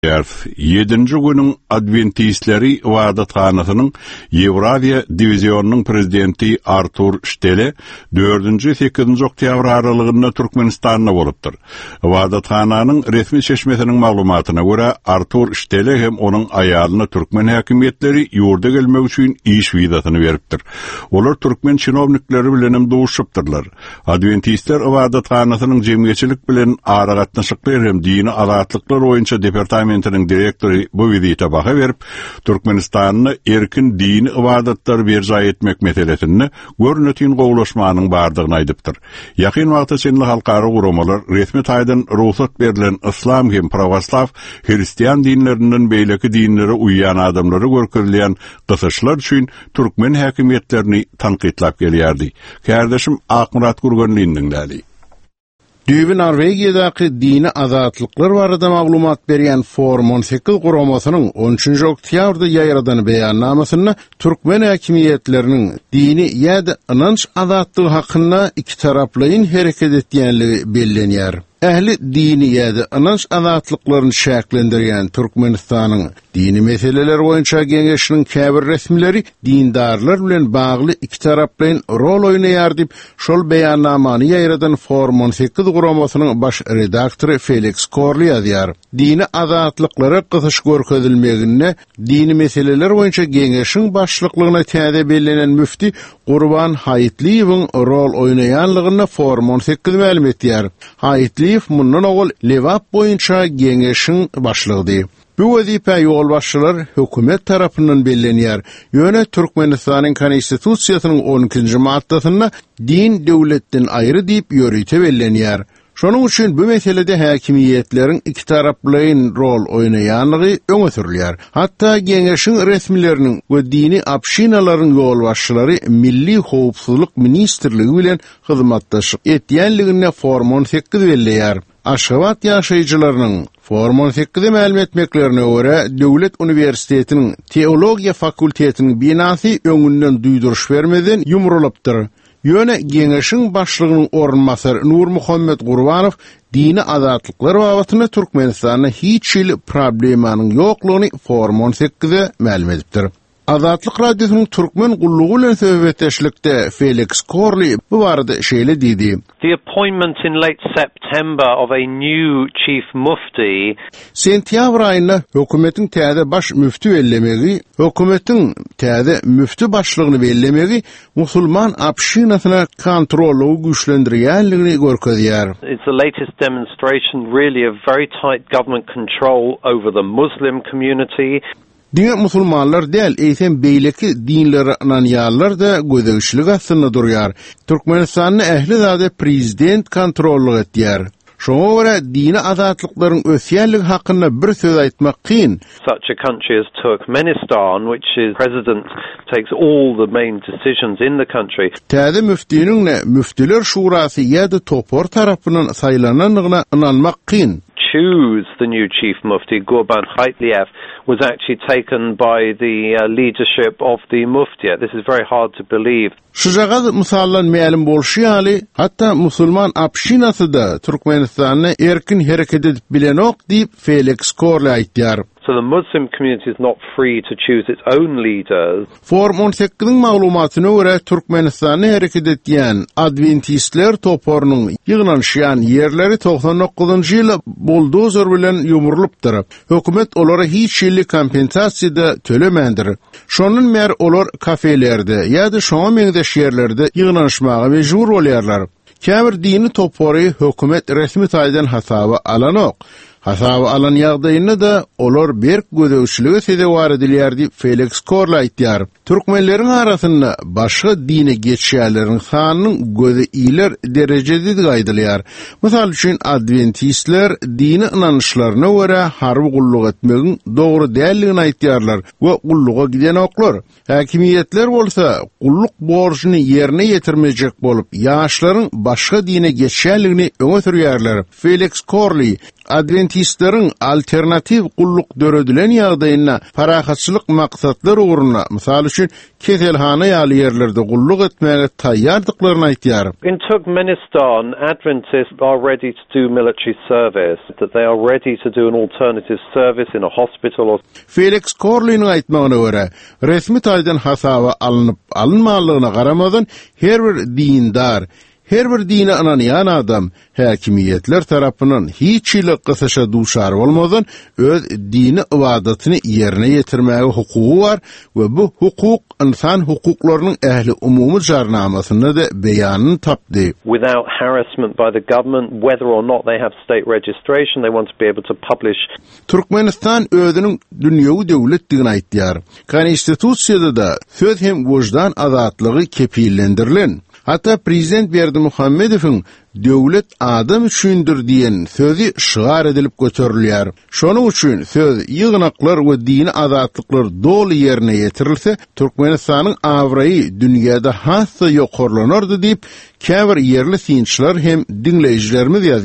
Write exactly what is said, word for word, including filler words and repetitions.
Ýedinji günüň adwentistleri ybadathanasynyň Ýewraziýa diwizionynyň prezidenti Artur Ştele dördünji sekizinji oktýabr aralygynda Türkmenistanda bolupdyr. Ybadathananyň resmi çeşmesiniň maglumatyna görä, Artur Ştele hem onuň aýalyna türkmen häkimiýetleri ýurda gelmek üçin iş wizasyny beripdir. Olar türkmen çinownikleri bilen hem duşupdyrlar. Adwentistler ybadathanasynyň jemgyýetçilik bilen aragatnaşyklar hem dini azatlyklar boýunça departamentiniň direktory bu wizite baha berip, Türkmenistanda erkin dini ybadatlar berjaý etmek meselesinde görnetin gowulaşmanyň bardygyny aýdypdyr. Ýakyn wagta çenli halkara guramalar resmi taýdan rugsat berlen yslam hem pravoslav hristian dinlerinden beýleki dinlere uýýan adamlara görkezilýän gysyşlar üçin türkmen häkimiýetlerini tankytlap gelýärdi. Kärdeşim Akmyrat Gurganlyny diňläli. Düýbi Norwegiýadaky dini azatlyklar barada maglumat berýän Forum on sekiz guramasynyň on üçünji oktýabrda ýaýradan beýannamasynda türkmen häkimiýetleriniň dini ýa-da ynanç azatlygy hakynda iki taraplaýyn hereket etýänligi bellenýär. Ähli dini ýa-da ynanç azatlyklaryny çäklendirýän Türkmenistanyň dini meseleler boýunça geňeşiniň käbir resmileri dindarlar bilen bagly iki taraplaýyn rol oýnaýar diýip, şol beýannamany ýaýradan Forum on sekiz guramasynyň baş redaktory Felix Korli ýazýar. Dini azatlyklara gysyş görkezilmeginde dini meseleler boýunça geňeşiň başlyklygyna täze bellenen müfti Gurban Haýytlyýewiň rol oýnaýanlygyny Forum on sekiz mälim etýär. Haýytlyýew mundan owal Lebap boýunça geňeşiň başlygydy. Bu wezipe ýolbaşçylar hökümet tarapyndan bellenýär. Ýöne Türkmenistanyň Konstitusiýasynyň on ikinji maddasynda din döwletden aýry diýip ýörite bellenýär. Şonuň üçin bu meselede häkimiýetleriň iki taraplaýyn rol oýnaýanlygy öňe sürülýär. Hatda geňeşiň resmileriniň we dini общинalaryň ýolbaşçylary Milli Howpsuzlyk Ministrligi bilen hyzmatdaşlyk etýänligine Forum on sekiz belleýär. Aşgabat ýaşaýjylarynyň Forum on sekize mälim etmeklerine görä, Döwlet uniwersitetiniň Teologiýa fakultetiniň binasy öňünden duýduryş bermeden ýumrulypdyr. Ýöne geňeşiň başlygynyň orunbasary Nurmuhammet Gurbanow dini azatlyklar babatynda Türkmenistanda hiç hili problemanyň ýoklugyny Forum on sekize mälim edipdir. Azatlyk Radiosynyň Türkmen gullugy bilen söhbetdeşlikde Felix Korli bu barada şeýle diýdi. The appointment in late September of a new chief mufti. Sentýabr aýynda hökümetiň täze baş müfti bellemegi, hökümetiň täze müfti başlygyny bellemegi musulman общinasyna kontrollygy güýçlendirýänligini görkezýär. It's the latest demonstration really of very tight government control over the Muslim community. Diňe musulmanlar däl, eýsem beýleki dinlere ynanýanlar-da gözegçilik astynda durýar. Türkmenistanda ähli zady prezident kontrollyk etýär. Şoňa görä dini azatlyklaryň ösýänligi hakynda bir söz aýtmak kyn. Such a country as Turkmenistan, which is president takes all the main decisions in the country. Täze müftiniň ne müftiler şurasy ýa-da topar tarapyndan saýlanandygyna ynanmak kyn. Choose the new chief mufti Gurban Haýytlyýew was actually taken by the, uh, leadership of the muftiya. This is very hard to believe. Şujagaz mysaldan mälim bolşy ýaly, hatda musulman общinasy-da Türkmenistanda erkin hereket edip bilenok diýip Felix Korli aýtýar. So the Muslim community is not free to choose its own leaders. Forum on sekiziň maglumatyna görä, Türkmenistanda hereket etýän adwentistler toparynyň ýygnanyşýan ýerleri togsan dokuzynjy ýyl buldozer bilen ýumrulypdyr. Hökümet olara hiç hili kompensasiýa-da tölemändir. Şondan bäri olar kafelerde ýa-da şoňa meňzeş ýerlerde ýygnanyşmaga mejbur bolýarlar. Käbir dini topary hökümet resmi taýdan hasaba alanok. Hasaba alan ýagdaýynda-da olar berk gözegçilige sezewar edilýär diýip Felix Korli aýtýar. Türkmenleriň arasynda başga dine geçýänleriň sanynyň göze iler derejededigi aýdylýar. Mysal üçin adwentistler dini ynançlaryna görä harby gulluk etmegiň dogry däldigini aýtýarlar we gulluga gidenoklar. Häkimiýetler bolsa gulluk borjuny ýerine ýetirmejek bolup, ýaşlaryň başga dine geçýänligini öňe sürýärler. Felix Korli Adwentistleriň alternatiw gulluk döredilen ýagdaýynda parahatçylyk maksatlar ugruna, mysal üçin, keselhana ýaly ýerlerde gulluk etmäge taýýardyklaryny aýtýar. In Turkmenistan, Adventists are ready to do military service, that they are ready to do an alternative service in a hospital or Felix Korliniň aýtmagyna görä, resmi taýdan hasaba alnyp alynmanlygyna garamazdan her bir dindar, her bir dine ynanýan adam häkimiýetler tarapyndan hiç hili gysyşa duçar bolmadan öz dini ybadatyny ýerine ýetirmäge hukugy bar we bu hukuk ynsan hukuklarynyň ähli umumy jarnamasynda-da beýanyny tapdy. without harassment by the government, whether or not they have state registration, they want to be able to publish Türkmenistan özüniň dünýewi döwletdigini aýtýar. Konstitusiýada-da söz hem wyždan azatlygy kepillendirilen. Hatda prezident Berdimuhamedowyň döwlet adam üçindir diýen sözi şygar edilip göterilýär. Şonuň üçin söz, ýygnaklar we dini azatlyklar doly ýerine ýetirilse, Türkmenistanyň abraýy dünýäde has-da ýokarlanardy diýip, käbir ýerli synçylar hem diňleýjilerimiz ýazýar.